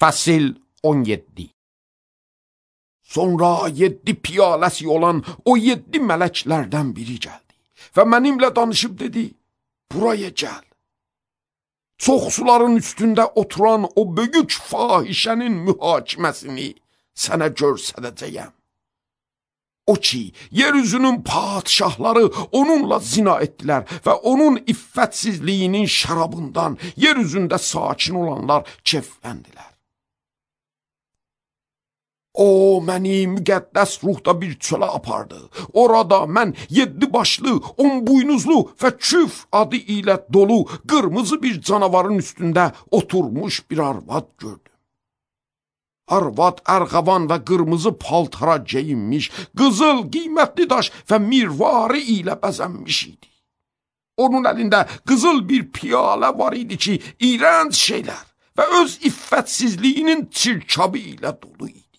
Fəsil 17. Sonra 7 piyaləsi olan o 7 mələklərdən biri gəldi və mənimlə danışıb dedi, buraya gəl. Çox suların üstündə oturan o böyük fahişənin mühakiməsini sənə göstərəcəyəm. O ki, yeryüzünün padişahları onunla zina etdilər və onun iffətsizliyinin şərabından yeryüzündə sakin olanlar keyfləndilər. O, məni müqəddəs ruhda bir çölə apardı. Orada mən 7 başlı, 10 buynuzlu və küf adı ilə dolu qırmızı bir canavarın üstündə oturmuş bir arvad gördüm. Arvad ərğavan və qırmızı paltara geyinmiş, qızıl, qiymətli daş və mirvarı ilə bəzənmiş idi. Onun əlində qızıl bir piyalə var idi ki, iyrənc şeylər və öz iffətsizliyinin çirkabı ilə dolu idi.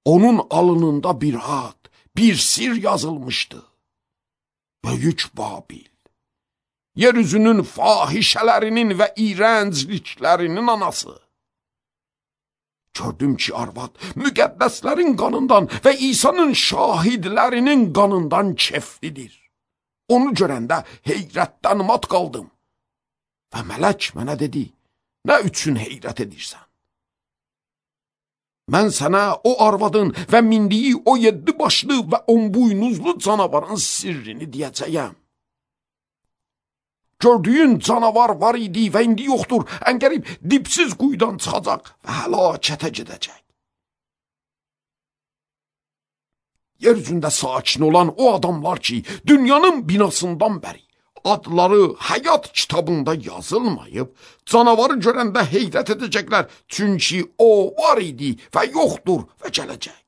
Onun alnında bir ad, bir sir yazılmışdı. Böyük Babil. Yeryüzünün fahişələrinin və iyrəncliklərinin anası. Gördüm ki, arvad müqəddəslərin qanından və İsa'nın şahidlərinin qanından keflidir. Onu görəndə heyrətdən mat qaldım. Və mələk mənə dedi, nə üçün heyrət edirsən? Mən sənə o arvadın və mindiyi o 7 başlı və 10 buynuzlu canavarın sirrini deyəcəyəm. Gördüyün canavar var idi və indi yoxdur, əngərib dipsiz quyudan çıxacaq və həlakətə gedəcək. Yeryüzündə sakin olan o adamlar ki, dünyanın binasından bəri adları həyat kitabında yazılmayıb, canavarı görəndə heyrət edəcəklər, çünki o var idi və yoxdur və gələcək.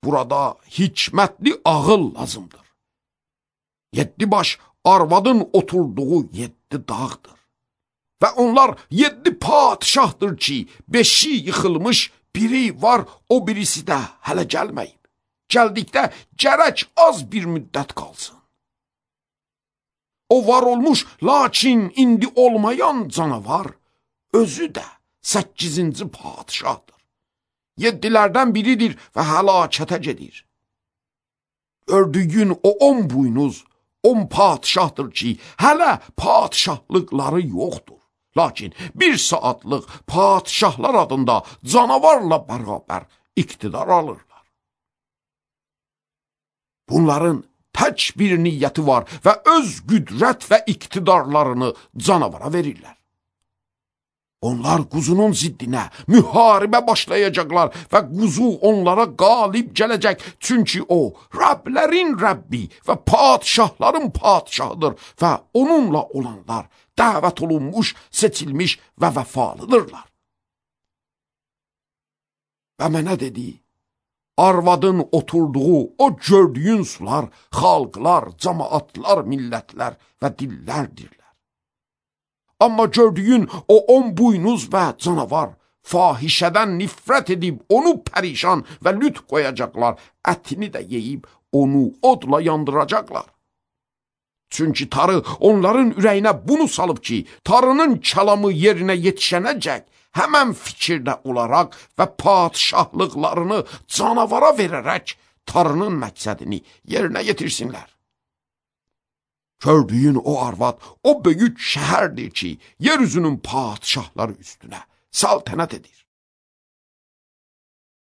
Burada hikmətli ağıl lazımdır. 7 baş arvadın oturduğu 7 dağdır. Və onlar 7 padişahdır ki, 5'i yıxılmış, biri var, o birisi də hələ gəlməyib. Gəldikdə gərək az bir müddət qalsın. O var olmuş, lakin indi olmayan canavar, özü də 8-ci padişahdır. 7'lərdən biridir və həlakətə gedir. Gördüyün o 10 buynuz, 10 padişahdır ki, hələ padişahlıqları yoxdur. Lakin bir saatlıq padişahlar adında canavarla bərabər iqtidar alırlar. Bunların tək bir niyyəti var və öz qüdrət və iqtidarlarını canavara verirlər. Onlar quzunun ziddinə müharibə başlayacaqlar və quzu onlara qalib gələcək. Çünki o, Rəblərin Rəbbi və padişahların padişahıdır və onunla olanlar dəvət olunmuş, seçilmiş və vəfalıdırlar. Və mənə dedi, arvadın oturduğu o gördüyün sular, xalqlar, cəmaatlar, millətlər və dillərdirlər. Amma gördüyün o 10 buynuz və canavar fahişədən nifrət edib onu pərişan və lüt qoyacaqlar, ətini də yeyib onu odla yandıracaqlar. Çünki tarı onların ürəyinə bunu salıb ki, tarının kəlamı yerinə yetişənəcək, həmən fikirdə olaraq və padişahlıqlarını canavara verərək tarının məqsədini yerinə yetirsinlər. Gördüyün o arvad o böyük şəhərdir ki, yeryüzünün padişahları üstünə saltənət edir.